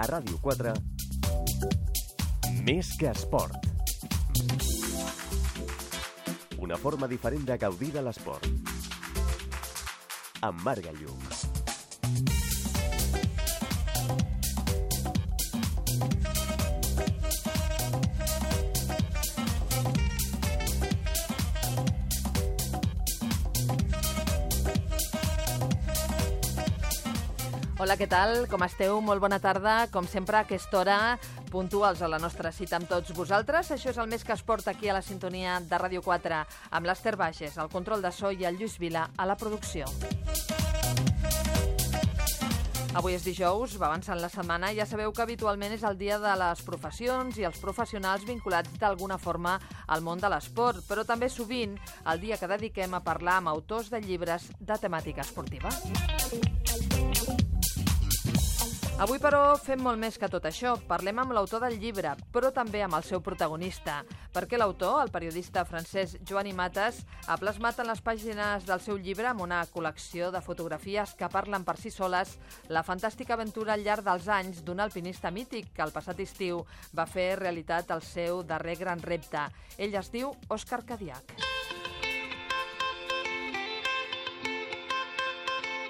A Ràdio 4, Més que esport. Una forma diferent de gaudir de l'esport. Amb Marc Gallum. Hola, què tal? Com esteu? Molt bona tarda. Com sempre, a aquesta hora, puntuals a la nostra cita amb tots vosaltres. Això és el Més que esport aquí a la sintonia de Ràdio 4, amb l'Ester Bages, el control de so, i el Lluís Vila a la producció. Avui és dijous, va avançant la setmana, i ja sabeu que habitualment és el dia de les professions i els professionals vinculats d'alguna forma al món de l'esport, però també sovint el dia que dediquem a parlar amb autors de llibres de temàtica esportiva. Avui, però, fem molt més que tot això. Parlem amb l'autor del llibre, però també amb el seu protagonista, perquè l'autor, el periodista francès Joan Matas, ha plasmat en les pàgines del seu llibre, amb una col·lecció de fotografies que parlen per si soles, la fantàstica aventura al llarg dels anys d'un alpinista mític que el passat estiu va fer realitat el seu darrer gran repte. Ell es diu Òscar Cadiach.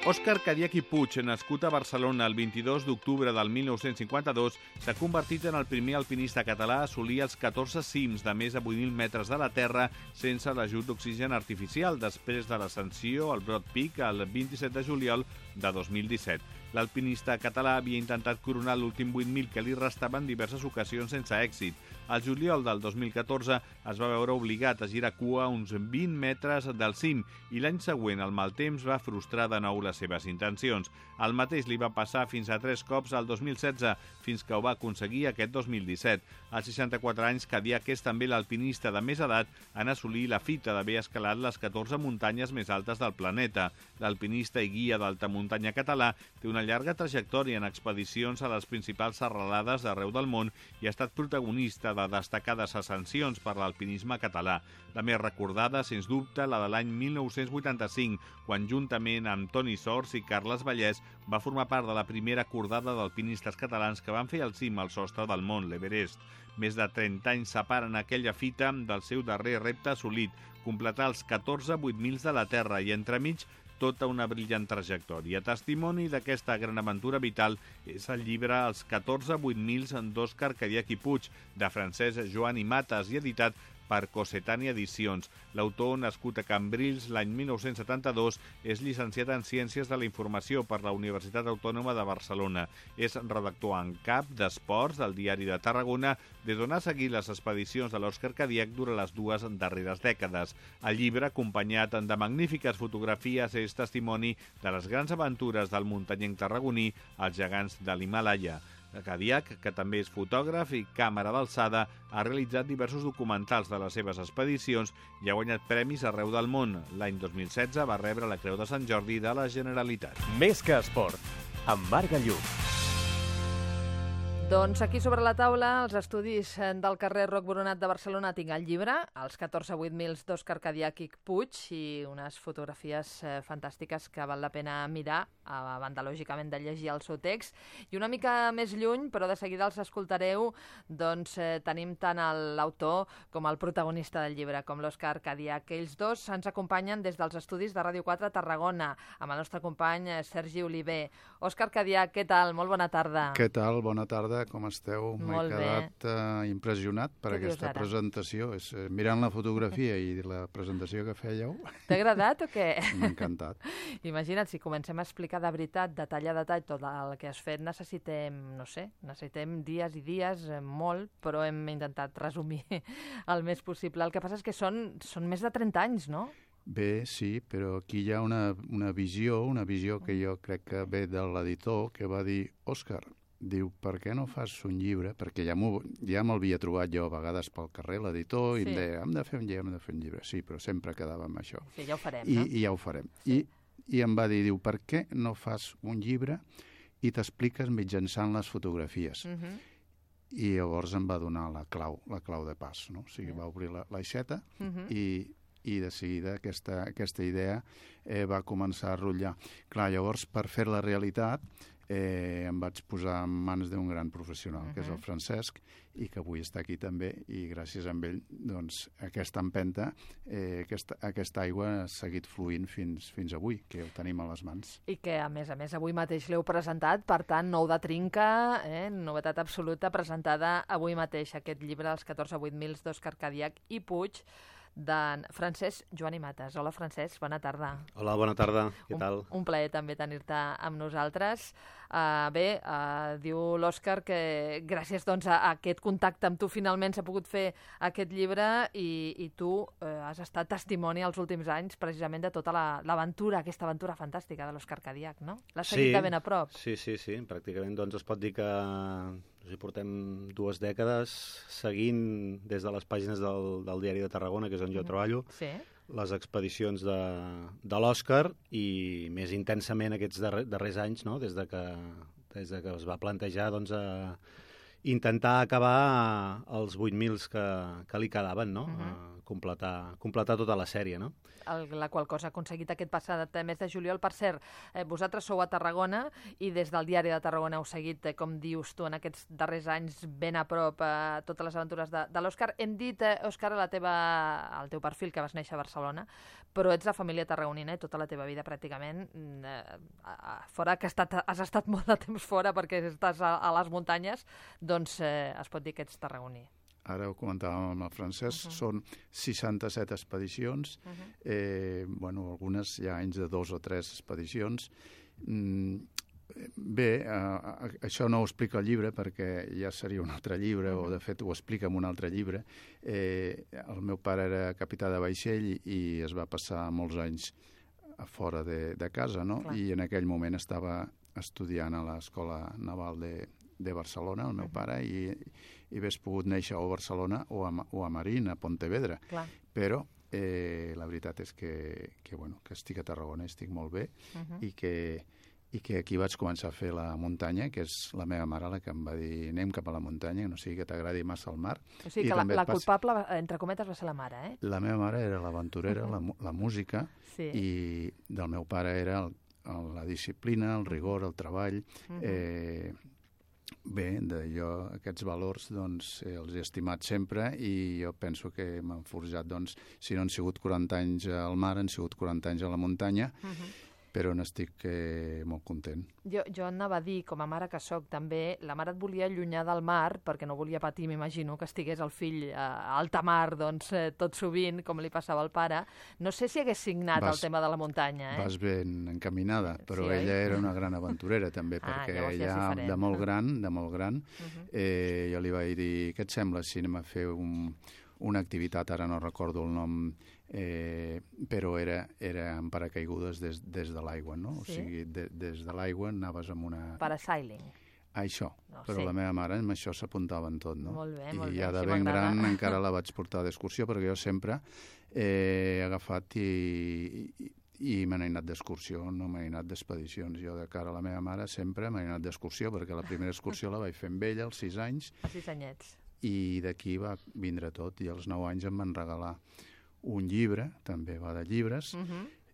Òscar Cadiach i Puig, nascut a Barcelona el 22 d'octubre del 1952, s'ha convertit en el primer alpinista català a assolir els 14 cims de més de 8.000 metres de la terra sense l'ajut d'oxigen artificial, després de l'ascensió al Broad Peak el 27 de juliol de 2017. L'alpinista català havia intentat coronar l'últim 8.000 que li restaven diverses ocasions sense èxit. Al juliol del 2014 es va veure obligat a girar cua uns 20 metres del cim i l'any següent el mal temps va frustrar de nou les seves intencions. El mateix li va passar fins a 3 cops al 2016, fins que ho va aconseguir aquest 2017. Als 64 anys, Cadiach és també l'alpinista de més edat en assolir la fita d'haver escalat les 14 muntanyes més altes del planeta. L'alpinista i guia d'alta muntanya català té una llarga trajectòria en expedicions a les principals serralades d'arreu del món i ha estat protagonista de destacades ascensions per l'alpinisme català. La més recordada, sens dubte, la de l'any 1985, quan juntament amb Toni Sors i Carles Vallès va formar part de la primera cordada d'alpinistes catalans que van fer el cim al sostre del mont, l'Everest. Més de 30 anys separen aquella fita del seu darrer repte assolit, completar els 14 8.000 de la Terra, i entremig tota una brillant trajectòria. Testimoni d'aquesta gran aventura vital és el llibre Els 14 8.000 d'Òscar Cadiach i Puig, de Francesc Joan Matas, i editat per Cossetània Edicions. L'autor, nascut a Cambrils l'any 1972, és llicenciat en Ciències de la Informació per la Universitat Autònoma de Barcelona. És redactor en cap d'Esports del Diari de Tarragona, des d'on ha seguit les expedicions de l'Òscar Cadiach durant les 2 darreres dècades. El llibre, acompanyat de magnífiques fotografies, és testimoni de les grans aventures del muntanyenc tarragoní, els gegants de l'Himàlaia. Cadiach, que també és fotògraf i càmera d'alçada, ha realitzat diversos documentals de les seves expedicions i ha guanyat premis arreu del món. L'any 2016 va rebre la Creu de Sant Jordi de la Generalitat. Més que esport, amb Marc Gallum. Doncs aquí sobre la taula, els estudis del carrer Roc Boronat de Barcelona, tinc el llibre, Els 14 8.000 d'Òscar Cadiach i Puig, i unes fotografies fantàstiques que val la pena mirar, a banda, lògicament, de llegir el seu text. I una mica més lluny, però de seguida els escoltareu, doncs tenim tant l'autor com el protagonista del llibre, com l'Òscar Cadiach. Ells dos ens acompanyen des dels estudis de Ràdio 4 a Tarragona, amb el nostre company Sergi Oliver. Òscar Cadiach, què tal? Molt bona tarda. Què tal? Bona tarda. Com esteu? M'he quedat impressionat per aquesta presentació. Mirant la fotografia i la presentació que fèieu... T'ha agradat o què? M'ha encantat. Imagina't, si comencem a explicar de veritat, detall a detall, tot el que has fet, necessitem dies i dies, molt, però hem intentat resumir el més possible. El que passa és que són més de 30 anys, no? Bé, sí, però aquí hi ha una visió que jo crec que ve de l'editor, que va dir: Òscar, diu, per què no fas un llibre? Perquè ja m'havia trobat jo a vegades pel carrer, l'editor, i em deia, hem de fer un llibre. Sí, però sempre quedava amb això. Sí, ja ho farem, no? I ja ho farem. Sí. I em va dir, diu, per què no fas un llibre i t'expliques mitjançant les fotografies? I llavors em va donar la clau de pas, no? O sigui, va obrir l'aixeta i i de seguida aquesta idea va començar a rotllar. Clar, llavors, per fer-la realitat, em vaig posar en mans d'un gran professional, que és el Francesc, i que avui està aquí també, i gràcies a ell, doncs, aquesta empenta, aquesta aigua ha seguit fluint fins avui, que ho tenim a les mans. I que, a més, avui mateix l'heu presentat, per tant, nou de trinca, novetat absoluta, presentada avui mateix, aquest llibre, Els 14 a 8 mils d'Òscar Cadiach i Puig, d'en Francesc Joan i Mates. Hola, Francesc, bona tarda. Hola, bona tarda, què tal? Un plaer també tenir-te amb nosaltres. Diu l'Òscar que gràcies doncs, a aquest contacte amb tu finalment s'ha pogut fer aquest llibre i tu has estat testimoni els últims anys precisament de tota l'aventura, aquesta aventura fantàstica de l'Òscar Cadiach, no? L'has seguit de ben a prop. Sí, pràcticament doncs es pot dir que portem 2 dècades seguint des de les pàgines del Diari de Tarragona, que és on jo treballo, les expedicions de l'Òscar i més intensament aquests darrers anys, no? des de que es va plantejar doncs, intentar acabar els 8.000 que li quedaven, no? Completar tota la sèrie, no? La qual cosa ha aconseguit aquest passat mes de juliol. Per cert, vosaltres sou a Tarragona i des del Diari de Tarragona heu seguit, com dius tu, en aquests darrers anys ben a prop totes les aventures de l'Òscar. Hem dit, Òscar, al teu perfil que vas néixer a Barcelona, però ets de família tarragonina i tota la teva vida pràcticament, fora que has estat molt de temps fora perquè estàs a les muntanyes, doncs es pot dir que ets tarragoní. Ara ho comentàvem amb el Francesc, són 67 expedicions, algunes hi ha anys de 2 o 3 expedicions. Bé, això no ho explica el llibre perquè ja seria un altre llibre, o de fet ho explica en un altre llibre. El meu pare era capità de vaixell i es va passar molts anys fora de casa, no? I en aquell moment estava estudiant a l'Escola Naval de Barcelona, el meu pare, i hagués pogut néixer o a Barcelona o a Marín, a Pontevedra. Però la veritat és que estic a Tarragona, estic molt bé, i que aquí vaig començar a fer la muntanya, que és la meva mare la que em va dir anem cap a la muntanya, no sigui que t'agradi massa el mar. O sigui que la culpable, entre cometes, va ser la mare, eh? La meva mare era l'aventurera, la música, i del meu pare era la disciplina, el rigor, el treball. Bé, jo aquests valors doncs, els he estimat sempre i jo penso que m'han forjat, doncs, si no han sigut 40 anys al mar, han sigut 40 anys a la muntanya, però n'estic molt content. Jo anava a dir, com a mare que soc també, la mare et volia allunyar del mar perquè no volia patir, m'imagino, que estigués el fill a alta mar, doncs, tot sovint, com li passava al pare. No sé si hagués signat el tema de la muntanya, Vas ben encaminada, però ella era una gran aventurera també, perquè ella de molt gran, jo li vaig dir, què et sembla si anem a fer una activitat, ara no recordo el nom, però era en paracaigudes des de l'aigua, no? O sigui, des de l'aigua anaves amb una... Parasailing. Això, però la meva mare amb això s'apuntava en tot, no? Molt bé, molt bé. I ja de ben gran encara la vaig portar d'excursió, perquè jo sempre he agafat i me n'he anat d'excursió, no m'he anat d'expedicions. Jo de cara a la meva mare sempre m'he anat d'excursió, perquè la primera excursió la vaig fer amb ella als 6 anys. A 6 anyets. I d'aquí va vindre tot, i als 9 anys em van regalar un llibre, també va de llibres,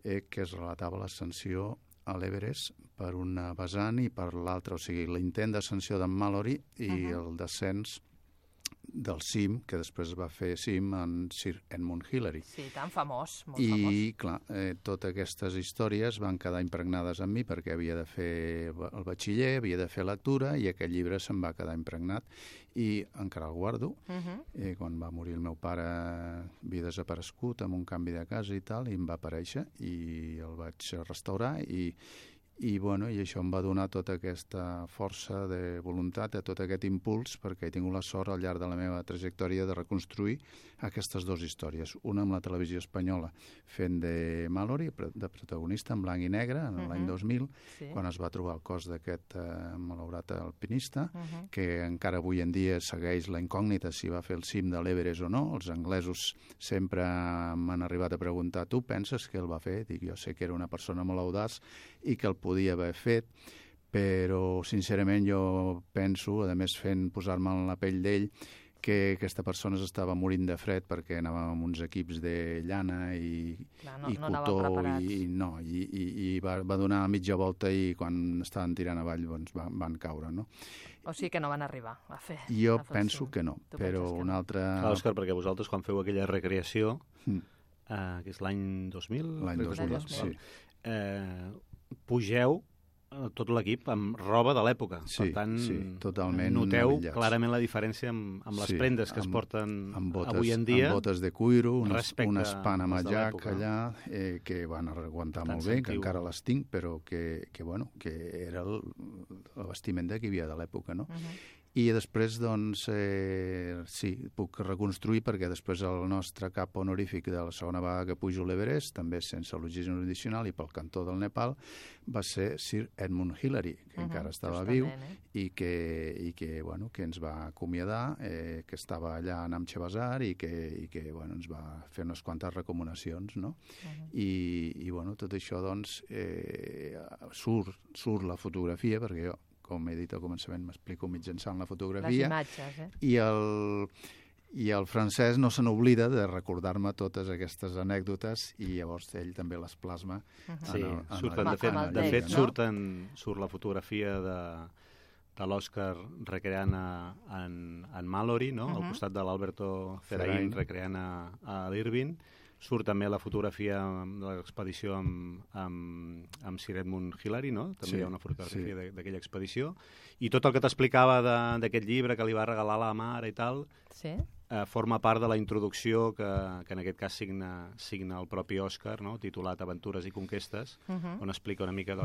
que es relatava l'ascensió a l'Everest per una vessant i per l'altra, o sigui, l'intent d'ascensió d'en Mallory i el descens del cim, que després va fer cim en Sir Edmund Hillary. Sí, tan famós, molt famós. I, clar, totes aquestes històries van quedar impregnades en mi perquè havia de fer el batxiller, havia de fer lectura, i aquest llibre se'm va quedar impregnat i encara el guardo. Quan va morir el meu pare havia desaparegut amb un canvi de casa i tal, i em va aparèixer i el vaig restaurar i això em va donar tota aquesta força de voluntat, tot aquest impuls, perquè he tingut la sort al llarg de la meva trajectòria de reconstruir aquestes 2 històries. Una amb la televisió espanyola, fent de Mallory, de protagonista en blanc i negre, en l'any 2000, quan es va trobar el cos d'aquest malaurat alpinista, que encara avui en dia segueix la incògnita si va fer el cim de l'Everest o no. Els anglesos sempre m'han arribat a preguntar, tu penses que el va fer? Dic, jo sé que era una persona molt audaç i que el podia haver fet, però sincerament jo penso, a més posar-me en la pell d'ell, que aquesta persona s'estava morint de fred perquè anàvem amb uns equips de llana i cotó i va donar mitja volta i quan estaven tirant avall doncs van caure, no? O sigui que no van arribar a fer. Jo penso que no, però un altre... Clar, Òscar, perquè vosaltres quan feu aquella recreació, que és l'any 2000? L'any 2000, sí. Pugeu tot l'equip amb roba de l'època. Sí, per tant, totalment noteu avillats. Clarament la diferència amb les prendes que es porten avui en dia. Amb botes de cuiro, unes Panama Jack allà, que van aguantar molt bé, que encara les tinc, però que era el vestiment que hi havia de l'època, no? I després, doncs, sí, puc reconstruir perquè després el nostre cap honorífic de la segona vegada que pujo l'Everest, també sense l'oxigen addicional i pel cantó del Nepal, va ser Sir Edmund Hillary, que encara estava viu i que ens va acomiadar, que estava allà a Namche Bazaar i que ens va fer unes quantes recomanacions, no? I tot això, doncs, surt la fotografia, perquè jo, com he dit al començament, m'explico mitjançant la fotografia. Les imatges, I el Francesc no se n'oblida de recordar-me totes aquestes anècdotes i llavors ell també les plasma. Sí, de fet surt la fotografia de l'Òscar recreant en Mallory, no? Al costat de l'Alberto Zerain recreant a l'Irvine. Surt també la fotografia de l'expedició amb Sir Edmund Hillary, no? També hi ha una fotografia d'aquella expedició. I tot el que t'explicava d'aquest llibre que li va regalar la mare i tal, forma part de la introducció que en aquest cas signa el propi Òscar, no? Titulat Aventures i conquestes, on explica una mica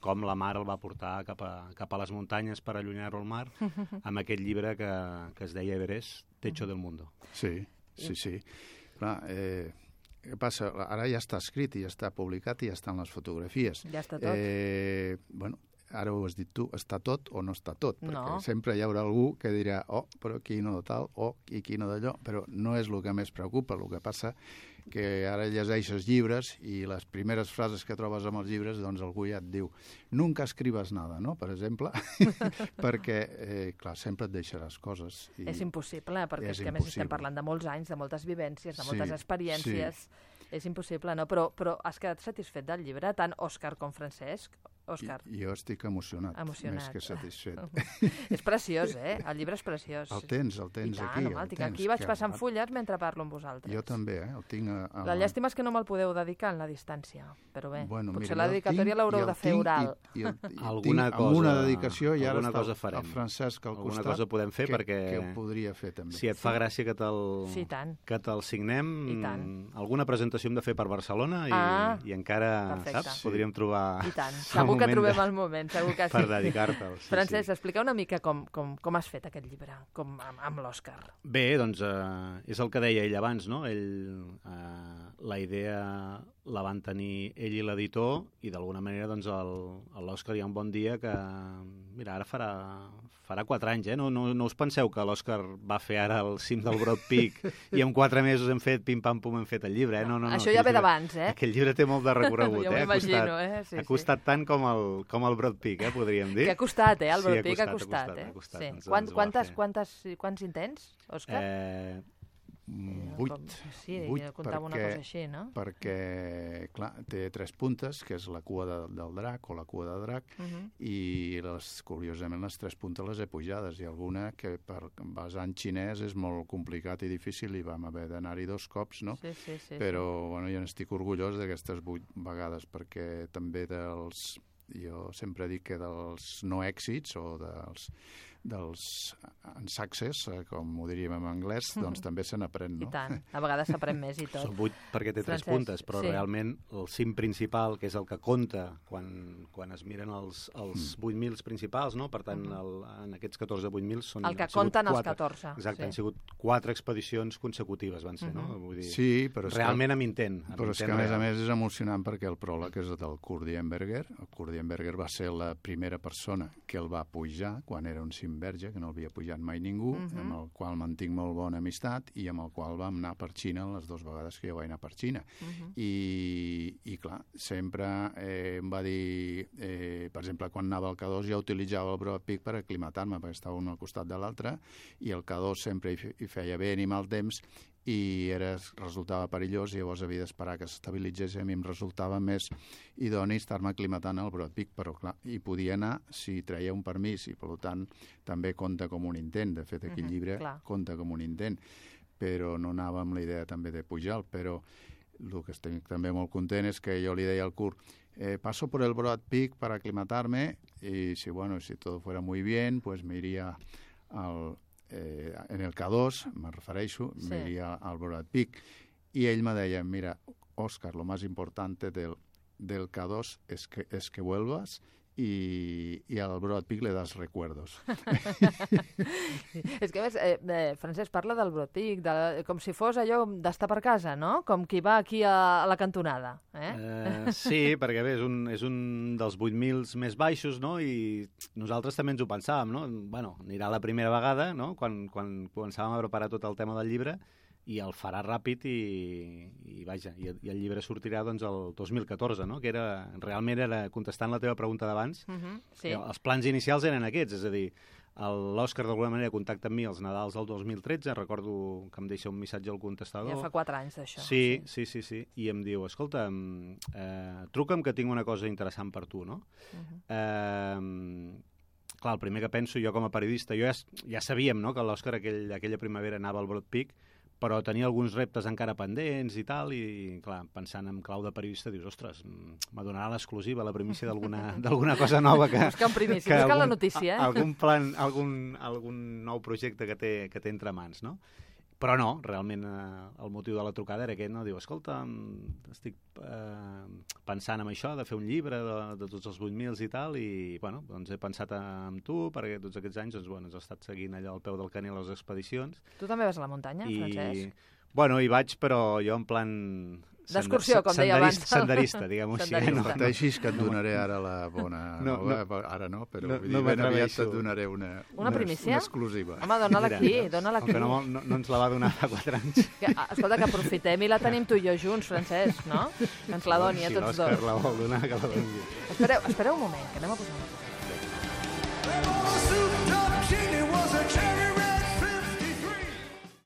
com la mare el va portar cap a les muntanyes per allunyar-lo al mar, amb aquest llibre que es deia Everest, Techo del Mundo. Sí. Clar, què passa? Ara ja està escrit i ja està publicat i ja estan les fotografies. Ja està tot. Ara ho has dit tu, està tot o no està tot? Perquè sempre hi haurà algú que dirà però aquí no de tal, i aquí no d'allò, però no és el que més preocupa. El que passa que ara llegeixes llibres i les primeres frases que trobes amb els llibres, doncs algú ja et diu nunca escribes nada, no?, per exemple, perquè, clar, sempre et deixaràs coses. És impossible, perquè és que a més estem parlant de molts anys, de moltes vivències, de moltes experiències. És impossible, no? Però has quedat satisfet del llibre, tant Òscar com Francesc? Òscar. Jo estic emocionat, més que satisfet. És preciós, el llibre és preciós. El tens aquí. Aquí vaig passant fulles mentre parlo amb vosaltres. Jo també, el tinc La llàstima és que no me'l podeu dedicar en la distància, però bé, potser la dedicatòria l'haureu de fer oral. Alguna dedicació i ara està el Francesc al costat. Alguna cosa podem fer perquè... Que ho podria fer també. Si et fa gràcia que te'l signem, alguna presentació hem de fer per Barcelona i encara, saps, podríem trobar... I tant, segur que trobem el moment, segur que sí. Per dedicar-te'l. Francesc, explica una mica com has fet aquest llibre, amb l'Òscar. Bé, doncs és el que deia ell abans, no? La idea la van tenir ell i l'editor i d'alguna manera doncs l'Òscar hi ha un bon dia que, mira, ara farà 4 anys, no us penseu que l'Òscar va fer ara el cim del Broad Peak i en 4 mesos hem fet pim-pam-pum, hem fet el llibre, No, això ja ve d'abans, Aquell llibre té molt de recorregut, Jo m'imagino, Ha costat tant com el Broad Peak, podríem dir. Que ha costat, el Broad Peak ha costat. Quants intents, Òscar? 8. Sí, comptava una cosa així, no? Perquè, clar, té 3 puntes, que és la cua del drac o la cua de drac, i curiosament les 3 puntes les he pujades, i alguna que per basar en xinès és molt complicat i difícil i vam haver d'anar-hi 2 cops, no? Però, bueno, jo n'estic orgullós d'aquestes 8 vegades, perquè també jo sempre dic que dels no èxits o dels success, com ho diríem en anglès, doncs també se n'aprèn, no? I tant, a vegades s'aprèn més i tot. Són 8 perquè té 3 puntes, però realment el cim principal, que és el que compta quan es miren els 8.000 principals, no? Per tant, en aquests 14 8.000 són... El que compten els 14. Exacte, han sigut 4 expedicions consecutives, van ser, no? Vull dir, sí, però realment amb intent. Però és que, a més és emocionant perquè el pròleg és del Kurt Diemberger. El Kurt Diemberger va ser la primera persona que el va pujar quan era un cim verge, que no havia pujat mai ningú, amb el qual mantinc molt bona amistat i amb el qual vam anar per Xina les 2 vegades que jo vaig anar per Xina. I clar, sempre em va dir, per exemple, quan anava al K2 ja utilitzava el Broad Peak per aclimatar-me, perquè estava un al costat de l'altre, i el K2 sempre hi feia bé ni mal temps, i resultava perillós, i llavors havia d'esperar que s'estabilitzés, i a mi em resultava més idoni estar-me aclimatant al Broad Peak, però clar, hi podia anar si treia un permís, i per tant també compta com un intent. De fet, aquell llibre compta com un intent, però no anava amb la idea també de pujar, però el que estic també molt content és que jo li deia al Kurt, paso por el Broad Peak para aclimatarme, y si todo fuera muy bien, pues me iría en el K2, me refereixo, me iría al Broad Peak. Y ell me deia, mira, Òscar, lo más importante del K2 es que vuelvas y al Broad Peak le das recuerdos. És que, a més, Francesc parla del Broad Peak com si fos allò d'estar per casa, no? Com qui va aquí a la cantonada. Sí, perquè bé, és un dels 8.000 més baixos, no? I nosaltres també ens ho pensàvem, no? Bueno, anirà la primera vegada, no? Quan començàvem a preparar tot el tema del llibre, i el farà ràpid i vaja, i el llibre sortirà doncs el 2014, no? Que realment era, contestant la teva pregunta d'abans, els plans inicials eren aquests, és a dir, l'Òscar d'alguna manera contacta amb mi els Nadals del 2013, recordo que em deixa un missatge al contestador. Ja fa 4 anys d'això. Sí, i em diu, escolta, truca'm que tinc una cosa interessant per tu, no? Clar, el primer que penso jo com a periodista, ja sabíem, no?, que l'Òscar aquella primavera anava al Broad Peak, però tenia alguns reptes encara pendents i tal, i clar, pensant en clau de periodista, dius, ostres, me donarà l'exclusiva, la primícia d'alguna cosa nova que... Buscant primícia, buscant la notícia, algun plan, algun nou projecte que té entre mans, no? Però no, realment el motiu de la trucada era aquest, no? Diu, escolta, estic pensant en això, de fer un llibre de tots els 8.000 i tal, i bueno, doncs he pensat en tu, perquè tots aquests anys has estat seguint allò al peu del canil a les expedicions. Tu també vas a la muntanya, Francesc? Bueno, hi vaig, però jo en plan... D'excursió, com deia abans. Senderista, diguem-ho així. No pateixis que et donaré ara la bona nova. Ara no, però ben aviat et donaré una primícia? Una exclusiva. Home, dóna-la aquí, dóna-la aquí. Aunque no ens la va donar fa 4 anys. Escolta, que aprofitem i la tenim tu i jo junts, Francesc, no? Que ens la doni a tots dos. Si l'Òscar la vol donar, que la doni. Espereu un moment, que anem a posar una cosa.